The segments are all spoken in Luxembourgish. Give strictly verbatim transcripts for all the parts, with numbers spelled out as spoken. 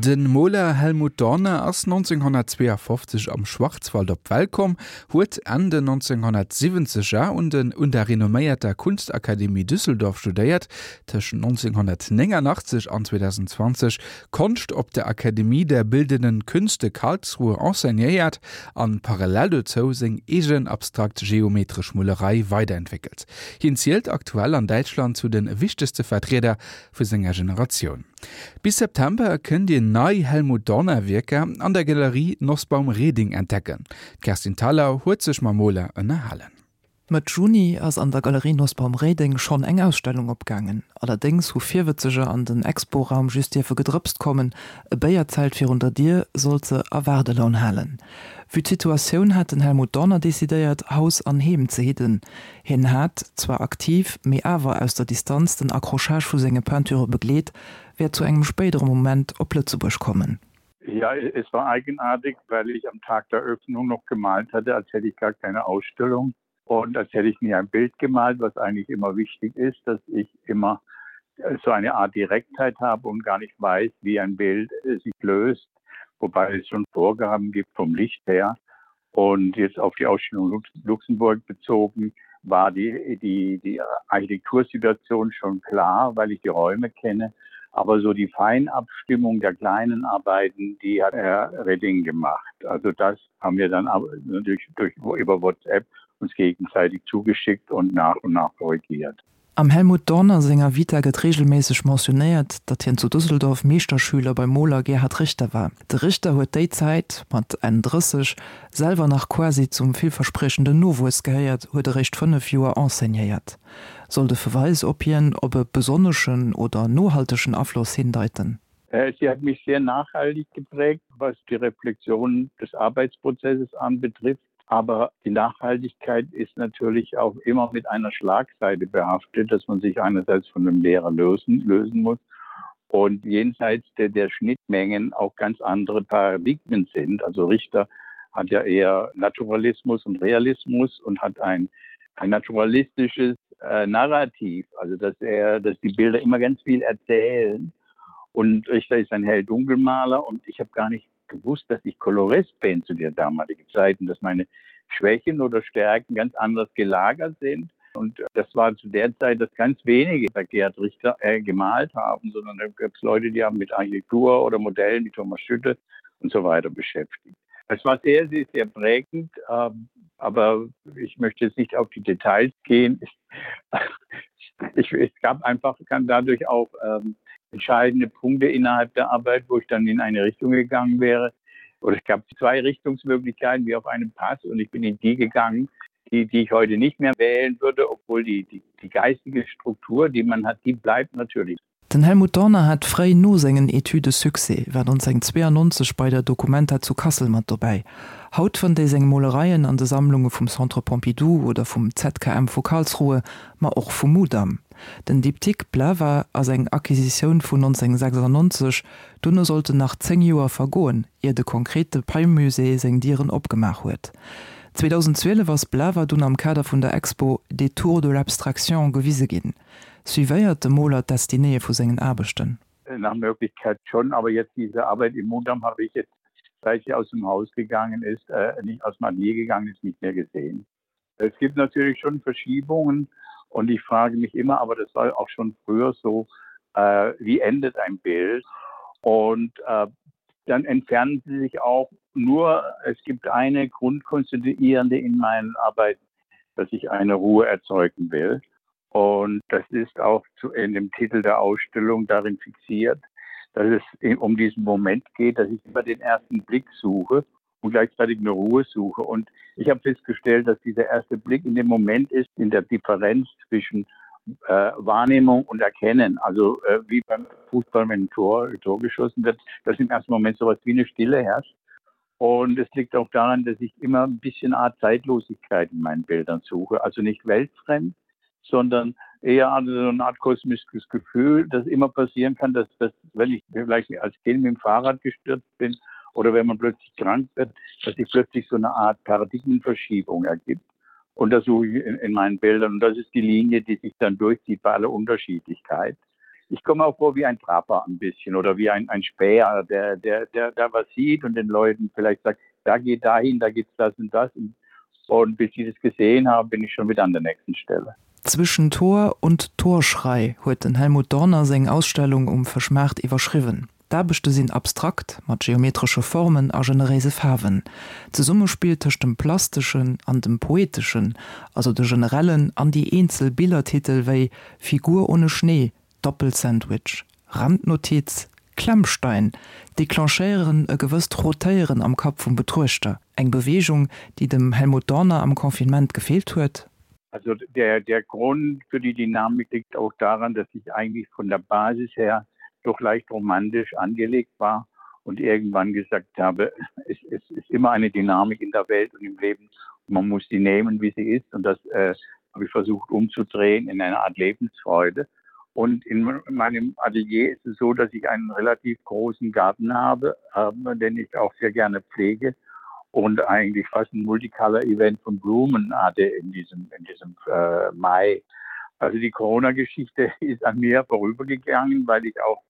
De Moler Helmut Dorner ass neunzehnhundertzweeafofzeg am Schwarzwald op d'Welt komm, huet Enn den neunzehnhundertsiwwenzeger un den un der renomméierter Kunstakademie Düsseldorf studéiert, tëschent neunzehnhundertnéngannachtzeg an zweedausendzwanzeg Konscht op der Akademie der Bildenden Künste Karlsruhe enseignéiert an parallel dozou seng eegen abstrakt geometresch Molerei weiderentwéckelt. Hien zielt aktuell an Däitschland zu de wichtegste Vertrieder vu senger Generatioun. Bis September kënnt Dir nei Helmut Dorner Wierker an der Galerie Nosbaum Reding entdecken. D'Kerstin Thalau huet sech mam Moler ënnerhalen. Mëtt Juni ass an der Galerie Nosbaum Reding schonn eng Ausstellung opgaangen. Allerdéngs hu Virwëtzeger an den Expo-Raum just dierfe gedrëpst kommen, e Béierzelt virun der Dier sollt se a Waardelaun halen. Vue d'Situatioun hat den Helmut Dorner decidéiert, Haus an Heem ze hidden. Hien hat, zwar aktiv, mee awer aus der Distanz den Accrochage vu senge Peinture begleet, wäert zu engem spéidere Moment op Lëtzebuerg kommen. Ja, es war eigenartig, weil ich am Tag der Eröffnung noch gemalt hatte, als hätte ich gar keine Ausstellung und als hätte ich nie ein Bild gemalt, was eigentlich immer wichtig ist, dass ich immer so eine Art Direktheit habe und gar nicht weiß, wie ein Bild sich löst, wobei es schon Vorgaben gibt vom Licht her. Und jetzt auf die Ausstellung Luxemburg bezogen, war die, die, die Architektursituation schon klar, weil ich die Räume kenne. Aber so die Feinabstimmung der kleinen Arbeiten, die hat Herr Redding gemacht. Also das haben wir dann natürlich durch, über WhatsApp uns gegenseitig zugeschickt und nach und nach korrigiert. Am Helmut Dorner senger Vita gëtt reegelméisseg mentionéiert, datt hien zu Düsseldorf Meeschterschüler beim Moler Gerhard Richter war. De Richter huet déi Zäit, mat Enn drësseg selwer nach quasi zum villverspriechenden Nowuess gehéiert, huet eréischt fënnef Joer enseignéiert. Soll de Verweis op hien op e besonneschen oder nohaltegen Afloss hindeiten? Sie hat mich sehr nachhaltig geprägt, was die Reflexion des Arbeitsprozesses anbetrifft. Aber die Nachhaltigkeit ist natürlich auch immer mit einer Schlagseite behaftet, dass man sich einerseits von dem Lehrer lösen, lösen muss und jenseits der, der Schnittmengen auch ganz andere Paradigmen sind. Also Richter hat ja eher Naturalismus und Realismus und hat ein, ein naturalistisches äh, Narrativ, also dass er, dass die Bilder immer ganz viel erzählen. Und Richter ist ein Hell-Dunkelmaler und ich habe gar nicht gewusst, dass ich Kolorist bin zu der damaligen Zeit und dass meine Schwächen oder Stärken ganz anders gelagert sind. Und das war zu der Zeit, dass ganz wenige bei Gerhard Richter äh, gemalt haben, sondern da gab es Leute, die haben mit Architektur oder Modellen wie Thomas Schütte und so weiter beschäftigt. Es war sehr, sehr, sehr prägend, äh, aber ich möchte jetzt nicht auf die Details gehen. Ich, es gab einfach kann dadurch auch ähm, entscheidende Punkte innerhalb der Arbeit, wo ich dann in eine Richtung gegangen wäre. Oder es gab zwei Richtungsmöglichkeiten wie auf einem Pass und ich bin in die gegangen, die, die ich heute nicht mehr wählen würde, obwohl die, die, die geistige Struktur, die man hat, die bleibt natürlich. Den Helmut Dorner hat fréi no sengen Etüde Succès, war neunzehnhundertzweiundneunzeg bei der Documenta zu Kassel mat dobäi. Haut fënnt ee seng Molereien an de Sammlunge vum Centre Pompidou oder vum Z K M vu Karlsruhe, ma och vum Mudam. Den Diptyque Plava ass eng Acquisitioun vun neunzehnhundertsechsundneunzeg, dono sollten nach zéng Joer vergoen, ier de konkrete Pei-Musée seng Dieren opgemaach huet. zweedausendzwielef ass Plava dunn am Kader vun der Expo Détour de l'abstraction gewise ginn. Suivéiert de Moler d'Destinéeë vu sengen Aarbechten? Nach Möglichkeit schon, aber jetzt diese Arbeit im Mudam habe ich jetzt, seit sie aus dem Haus gegangen ist, äh, nicht aus dem Atelier gegangen ist, nicht mehr gesehen. Es gibt natürlich schon Verschiebungen und ich frage mich immer, aber das war auch schon früher so, äh, wie endet ein Bild? Und, äh, dann entfernen sie sich auch nur, es gibt eine Grundkonstituierende in meinen Arbeiten, dass ich eine Ruhe erzeugen will. Und das ist auch zu, in dem Titel der Ausstellung darin fixiert, dass es um diesen Moment geht, dass ich immer den ersten Blick suche und gleichzeitig eine Ruhe suche. Und ich habe festgestellt, dass dieser erste Blick in dem Moment ist, in der Differenz zwischen, äh, Wahrnehmung und Erkennen. Also, äh, wie beim Fußball, wenn ein Tor, Tor geschossen wird, dass im ersten Moment sowas wie eine Stille herrscht. Und es liegt auch daran, dass ich immer ein bisschen Art Zeitlosigkeit in meinen Bildern suche. Also nicht weltfremd, sondern eher so eine Art kosmisches Gefühl, das immer passieren kann, dass, dass wenn ich vielleicht als Kind mit dem Fahrrad gestürzt bin oder wenn man plötzlich krank wird, dass sich plötzlich so eine Art Paradigmenverschiebung ergibt. Und das suche ich in, in meinen Bildern. Und das ist die Linie, die sich dann durchzieht bei aller Unterschiedlichkeit. Ich komme auch vor wie ein Trapper ein bisschen oder wie ein, ein Späher, der, der, der da was sieht und den Leuten vielleicht sagt, da geht dahin, da gibt's das und das. Und, und bis ich das gesehen habe, bin ich schon wieder an der nächsten Stelle. Zwischen Tor und Torschrei huet den Helmut Dorner seng Ausstellung um Fëschmaart iwwerschriwwen. D'Aarbechte sinn abstrakt, mat geometresche Formen a generéise Faarwen. D'Zesummespill tëscht dem Plasteschen an dem Poeteschen, also de generellen an déi eenzel Billertitel wéi Figur ohne Schnee, Doppelsandwich, Randnotiz, Klemmstein, declenchéieren e gewësst Rotéieren am Kapp vum Betruechter. Eng Beweegung, déi dem Helmut Dorner am Confinement gefeelt huet. Also der, der Grund für die Dynamik liegt auch daran, dass ich eigentlich von der Basis her doch leicht romantisch angelegt war und irgendwann gesagt habe, es, es ist immer eine Dynamik in der Welt und im Leben. Und man muss sie nehmen, wie sie ist. Und das äh, habe ich versucht umzudrehen in eine Art Lebensfreude. Und in meinem Atelier ist es so, dass ich einen relativ großen Garten habe, äh, den ich auch sehr gerne pflege und eigentlich fast ein Multicolor-Event von Blumen hatte in diesem, in diesem äh, Mai. Also die Corona-Geschichte ist an mir vorübergegangen, weil ich auch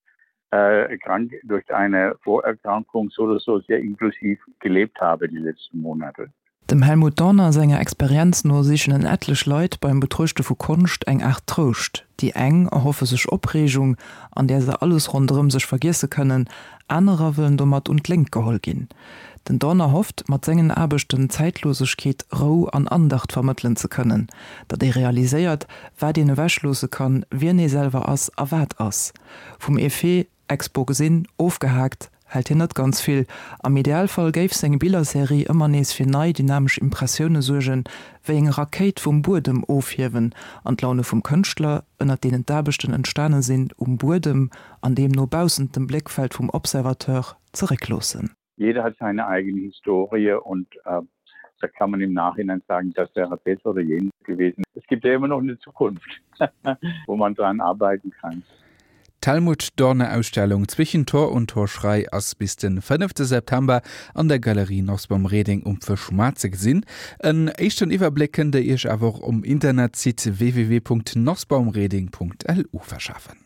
äh, krank durch eine Vorerkrankung so oder so sehr inklusiv gelebt habe die letzten Monate. Dem Helmut Dorner senger Experienz no sichen en etlech Leit beim Betruechte vu Konscht eng Aart Trouscht. Déi eng erhoffe sech Opreegung, an där se alles ronderëm sech vergiesse kënnen, anerer wëllen domat un d'Léngt geholl ginn. Den Dorner hofft, mat sengen Aarbechten Zäitlosegkeet, Rou an Andacht vermëttelen ze kënnen, datt ee realiséiert, wat een ewechloosse kann, wien ee selwer ass a wat ass. Vum Effet Expo gesinn, ofgehaakt hält hien net ganz vill. Am Idealfall géif seng Billerserie ëmmer nees fir nei dynamesch Impressioune suergen, wéi eng Rakéit vum Buedem ofhiewen an d'Laune vum Kënschtler, ënnert deenen d'Aarbechten entstane sinn, um Buedem an deemno baussent dem Bléckfeld vum Observateur zeréckloossen. Jeder hat seine eigene Historie und äh, da kann man im Nachhinein sagen, das wäre besser oder jenes gewesen. Es gibt ja immer noch eine Zukunft, wo man dran arbeiten kann. D'Helmut Dorner Ausstellung Zwischen Tor und Torschrei ass bis den fënnefte September an der Galerie Nosbaum Reding um Fëschmaart ze gesinn. En éischten Iwwerbléck kënnt der iech awer och um Internetsite www.nosbaumreding.lu verschafen.